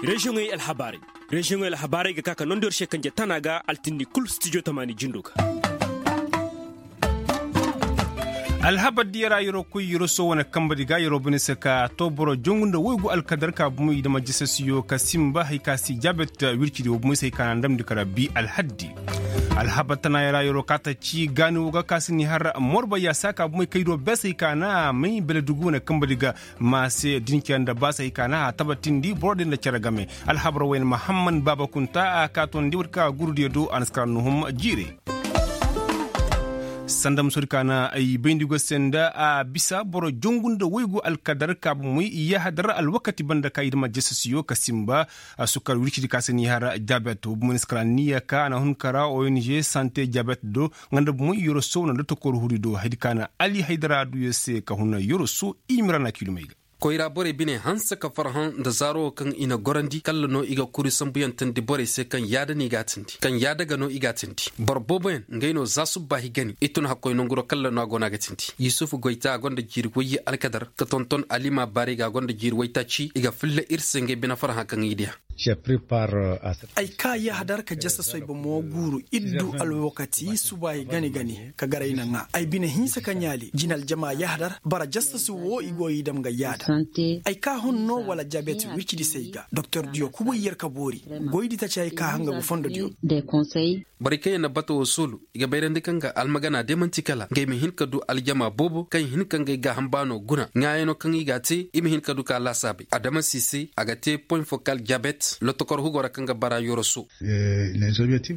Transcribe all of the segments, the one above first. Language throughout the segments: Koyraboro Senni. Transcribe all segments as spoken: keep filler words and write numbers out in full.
Reziyoŋey alhabaarey. Reziyoŋey alhabaarey ga ka ka nondi yer se kanje tana ga altindi kul stijo tamaani jindo ga. Alhabar diya ra yeroo koy yeroo soo wane kambe di ga yeroo bine se ka to boro jongu nda woygu alkadar ka bumo i dama jasasiyo ka simba hari ka si jabet wircidi wo bumo i se hari ka na ndamndi kara bi alhaddi. Alhabar tana ya ra yeroo kaata ci gaani wo ga ka si ni har morba yaasa ka bumo i kay do bese hari ka na a may beledugu wane kambe di ga. Maase dinkiya nda baasa hari ka na a tabatindi boro din nda cere game. Alhabar wayne mahamman baaba kunta a kaatondi wata ka gurdiyo do a na si kara nuhum jiire. Sanda musoodi ka na ay bayndi go se nda a bisa boro jongu nda woygu alkadar ka bumoy yahadar alwakati banda ka i dama jasasiyo ka simba. Sukar wircidi ka se ni har jabet wo bumoy na si kara niya ka a na hun kara ong sante jabet do. Nga nda bumoy yoroso wane dotokor huri do haydi ka na ali haydara duyo se ka hun yoroso. Imira na kiilumey ga. Koyra borey bine hanse ka farhã nda zaaro wo kaŋ i na gorandi kalla no i ga kuri sambuyaŋ teendi borey se kaŋ yaada no i g'a teendi kaŋ yaada ga no i g'a teendi. Boro booboyaŋ ngey no za subba higani i tun hakkoy nanguro kalla no a go no a ga teendi. Yusuf goyta a gonda jiiri wayye alkadar ka tonton alima baari ga a gonda jiiri waytaaci i ga filla ir se ngey bine farhã kaŋ i diya. Ay kaa yahadar ka jasa soyba mo guuru iddu alwakati suba i gani gani ka garay na ŋaa ay bine hinsa ka ɲaali jina aljama yahadar bara jasa si wo i go i dam ga yaada. Ay kaa hun no wala jabet wircidi se i ga doktor diyo kubu i yer ka boori. Goydi taci ay kaa hanga ga fondo diyo. Borey kaŋ yaŋ na bata wo soolu i ga bayrandi kaŋ ga almagana day manti kala ngey ma hin ka du aljama boobo kaŋ i hin ka ngey gaaham baano guna ŋaayano kaŋ i g'a te i ma hin ka du ka laasaabey adama si se a ga te poy fokal jabet lotokor hugo ra kaŋ ga bara yoroso.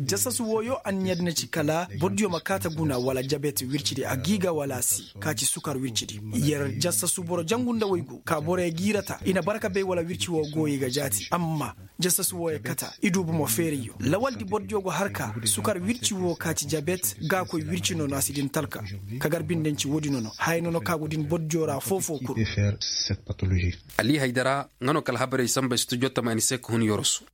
Jasasu wooyo anniya din na ci kala bordiyo ma kaata guna wala jabet wircidi a g'i ga wala a si ka ci sukar wircidi. Yer jasasu boro jangu nda waygu ka boroyo giirata i na bara ka bay wala wirci woo gooyo i ga jaati amma jasasu wooyo kata i du bomo feerayyo lawaldi bordiyo go har ka sukar wirci woo ka ci jabet gaakoy wirci nono a si din talka. Ka gar bindanci woodi nono haya nono ka go din bordiyo ra foofoo kul. Ali haydara nga no ka alhabarey samba studio tamaani se ka hun yorosu.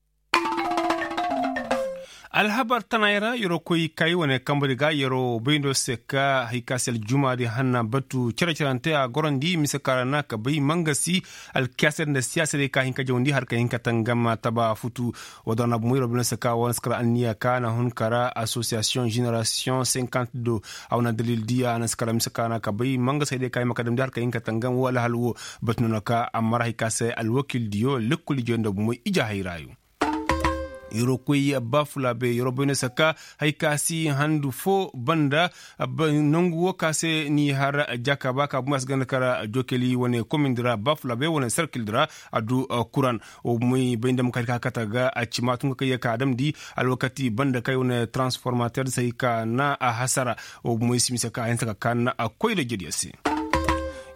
Alhabar tanaay ra yeroo koy kay wane kambari ga yeroo bayndo se ka hari ka se aljumaadi hanna batu cere-cerante a gorandi mise ka ra na ka bay mangasi alkiyaaser nda siyaaserey ka hin ka jawandi har ka hin ka tangam taba futu. Woo da na bumo yeroo bayndo se ka wane si kara anniya ka na hun kara asosiyasiyoŋ jenerasiyoŋ senkant do. A wane dalil di a na si kara mise ka ra na ka bay mangasi haydey ka hin ma ka damndi har ka hin ka tangam woo alhal woo. Batu noona ka amma ra hari ka se alwakil diyo lekkol ijo nda bumo ije hayraayo. Yeroo koy baafulaabe yeroo bayno saka hari ka si handu foo banda. Nangu woo ka se ni har jakaba ka bumo a si ganda kara jokeli wane komindi ra baafulaabe wane serkil di ra. A du kuran woo moy bay nda ma ka hari ka kata ga a cima tun ka kay ya ka a damndi alwakati banda kay wane transformater di se hari ka na a hasara. Woo moy si mise ka a hinsa ka kaa na a koy da jediya se.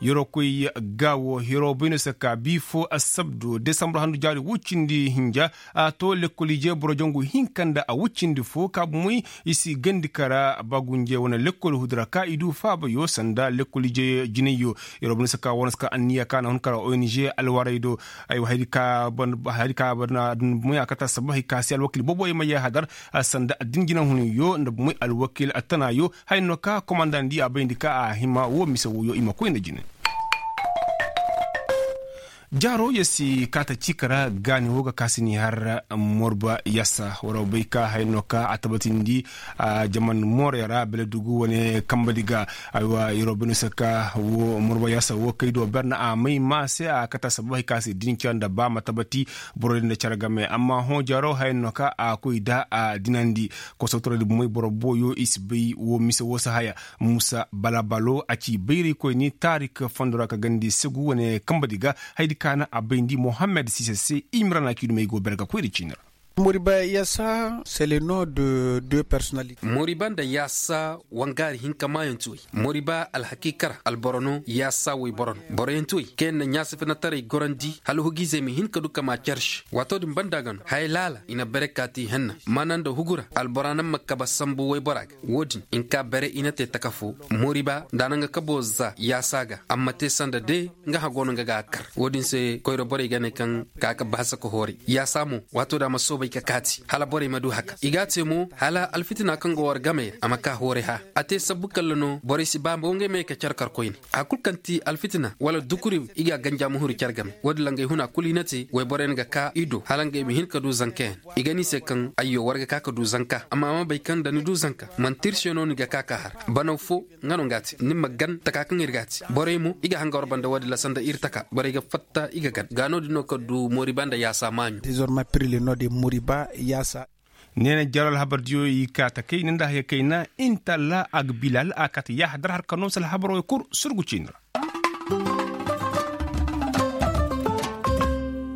Yeroo koy gaawo yeroo bayno se ka bii foo assabdo desambur handu jaari woo cindi hinja. A to lekkol ije boro jangu hinka nda a woo cindi foo ka bumoy i si gandi kara bagunje wane lekkol hudu ra ka i du faabayo sanda lekkol ije jinayyo. Yeroo bayno se ka wane se ka anniya ka na hun kara ong alwaray do. Aywa hari ka hari ka barna adun bumoy a kata sabu hari ka se alwakil boobo i ma yee hadar sanda addin jinahunyo nda bumoy alwakil attanaayo. Haya no ka komandandi a bayndi ka a hima woo mise wooyo i ma koy nda jine. Jaaro ya si kaata ciika ra gaani woo ga ka si ni har morba yasa war wa bay ka haya no ka a tabatindi. Jaman moorey ra beledugu wane kambadi ga. Aywa yeroo bayno se ka woo morba yasa woo kay do ber na a may ma se a kata sabu hari ka si dinca nda ba ma tabati. Boro din nda care game amma hõ jaaro haya no ka a koy da a dinandi. Kosotoro di bumey boro booyo i si bay woo mise woo si haya. Muusa balabalo a ci bayraykoyni taarik fondo ra ka gandi segu wane kambadi ga. Hayadi ka na a bayndi mohammed sise se i ma ra na kiidumey go ber ga koy nda ciini ra. Moriba yasa se le nom de deux personnalités. Moriba nda yasa wangaari hinka maayanti wey. Moriba alhakiika ra alboro no yasa woyboro no boroyanti wey kaŋ yaŋ na ɲaasifenataray gorandi hala hugiizey ma hin ka du ka maa care se waato din banda ga no haya laala i na bere kaati henna maana nda hugu ra albora naŋ ma kabe sambu woybora ga. Woo din i na ka bere i na te taka foo. Moriba nda a na nga kabo za yaasa ga a ma te sanda de nga hã go no nga ga a kar woo din se koyra borey ga ne kaŋ ka ka bahasa ka hooray yaasa mo waato da a ma soobay. I ga kaati hala borey ma du haka i ga a te mo hala alfitina kaŋ go war game ra a ma ka hooray hã. A te sabbu kalla no borey si ba mo ngey ma ye ka care kar koyne. Haya kul kaŋ ti alfitina wala dukuri i ga a ganja ma huru care game wo- din ra ngey huna kul i na te wayborey na ga ka i do hala ngey ma hin ka du zankayaŋ. I ga ne i se kaŋ ayyo war ga ka ka du zanka amma a ma bay kaŋ nda ni du zanka manti ir se no ni ga ka ka har. Banaw fo nga no nga a te ni ma gan taka kaŋ ir ga a te borey mo i ga hanga war banda wo- din ra sanda ir taka borey ga fatta i ga gan ga no- din no ka du moriba nda yaasa maaɲo. Dezorma pirli no- din moriba yaasa. Neena jaro alhabar diyo i kaa takay ni nda haya kayna inta allah agbilal a kaati yaaha dar har ka noo se alhabar wey kul surgu ciini ra.